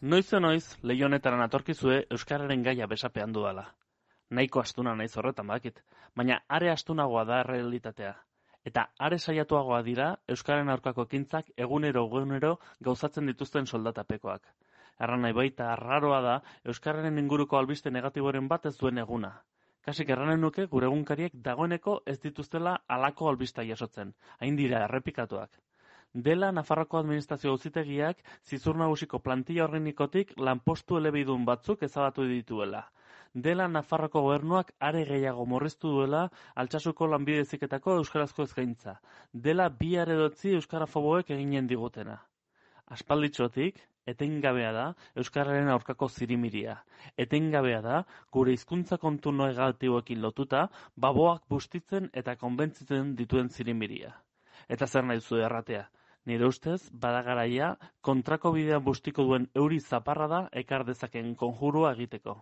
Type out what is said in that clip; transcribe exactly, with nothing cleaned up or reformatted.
Noize noiz, leiho honetara natorkizue euskararen gaia besapean dudala. Nahiko astuna naiz horretan bakit, baina are astunagoa da errealitatea. Eta are saiatuagoa dira euskararen aurkako ekintzak egunero egunero gauzatzen dituzten soldatapekoak. Erran nahi baita arraroa da euskararen inguruko albiste negatiboren bat ez duen eguna. Kasik erranen nuke gure egunkariek dagoeneko ez dituztela halako albista jasotzen, hain dira errepikatuak. Dela Nafarroako administrazio auzitegiak zizur nagusiko plantilla organikotik lanpostu elebidun batzuk ezabatu dituela. Dela Nafarroako gobernuak are gehiago murriztu duela Altsasuko lanbide heziketako euskarazko eskaintza. Dela bi aredotzi euskarafoboek eginen digutena. Aspalditxotik, etengabea da euskararen aurkako zirimiria. Etengabea da gure hizkuntza kontu negatiboekin lotuta baboak bustitzen eta konbentzitzen dituen zirimiria. Eta zer nahi duzu erratea? Nire ustez, badagaraia kontrako bidean bustiko duen euri zaparra da ekar dezaken konjurua egiteko.